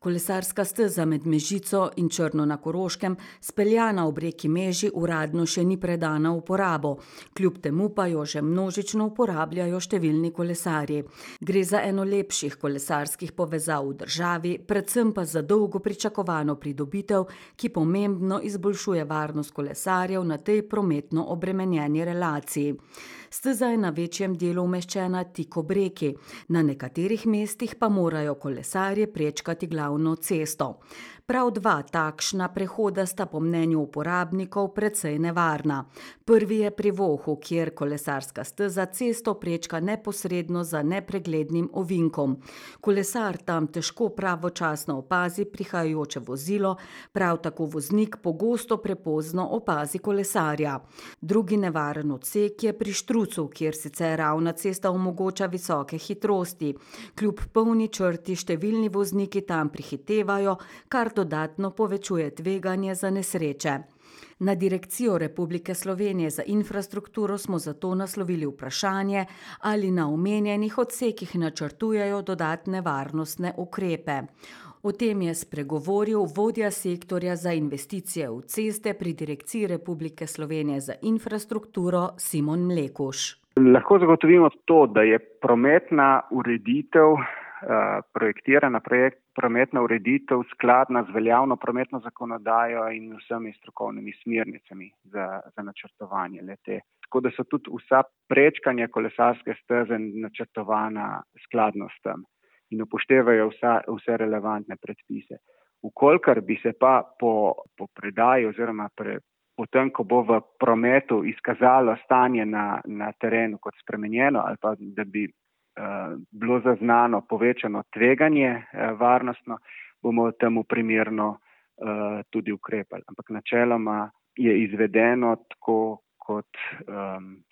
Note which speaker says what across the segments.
Speaker 1: Kolesarska steza med Mežico in Črno na Koroškem, speljana ob reki Meži, uradno še ni predana v uporabo. Kljub temu pa jo že množično uporabljajo številni kolesarji. Gre za eno lepših kolesarskih povezav v državi, predvsem pa za dolgo pričakovano pridobitev, ki pomembno izboljšuje varnost kolesarjev na tej prometno obremenjeni relaciji. Steza je na večjem delu umeščena tik ob reki, na nekaterih mestih pa morajo kolesarji prečkati glavno cesto. Prav dva takšna prehoda sta po mnenju uporabnikov precej nevarna. Prvi je pri Vohu, kjer kolesarska steza cesto prečka neposredno za nepreglednim ovinkom. Kolesar tam težko pravočasno opazi prihajajoče vozilo, prav tako voznik pogosto prepozno opazi kolesarja. Drugi nevaren odsek je pri Štrucu, kjer sicer ravna cesta omogoča visoke hitrosti. Kljub polni črti številni vozniki tam prihitevajo, kar dodatno povečuje tveganje za nesreče. Na Direkcijo Republike Slovenije za infrastrukturo smo zato naslovili vprašanje, ali na omenjenih odsekih načrtujejo dodatne varnostne ukrepe. O tem je spregovoril vodja sektorja za investicije v ceste pri Direkciji Republike Slovenije za infrastrukturo Simon Mlekuž.
Speaker 2: Lahko zagotovimo to, da je prometna ureditev, projektirana prometna ureditev skladna z veljavno prometno zakonodajo in vsemi strokovnimi smernicami za načrtovanje le-te. Tako da so tudi vsa prečkanja kolesarske steze načrtovana skladno s tem in upoštevajo vse relevantne predpise. Vkolikor bi se pa po predaji oziroma potem, ko bo v prometu izkazalo stanje na terenu kot spremenjeno ali pa da bi bilo zaznano povečano tveganje varnostno, bomo temu primerno tudi ukrepali. Ampak načeloma je izvedeno tako, kot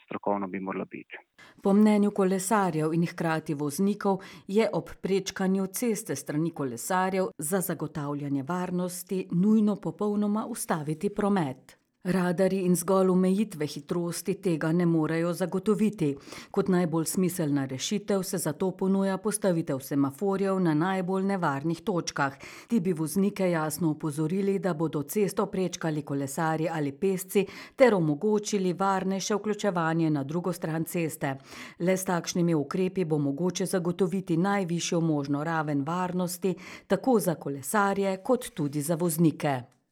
Speaker 2: strokovno bi moralo biti.
Speaker 1: Po mnenju kolesarjev in hkrati voznikov je ob prečkanju ceste strani kolesarjev za zagotavljanje varnosti nujno popolnoma ustaviti promet. Radarji in zgolj omejitve hitrosti tega ne morejo zagotoviti. Kot najbolj smiselna rešitev se zato ponuja postavitev semaforjev na najbolj nevarnih točkah. Ti bi voznike jasno opozorili, da bodo cesto prečkali kolesarji ali pešci ter omogočili varnejše vključevanje na drugo stran ceste. Le s takšnimi ukrepi bo mogoče zagotoviti najvišjo možno raven varnosti tako za kolesarje kot tudi za voznike.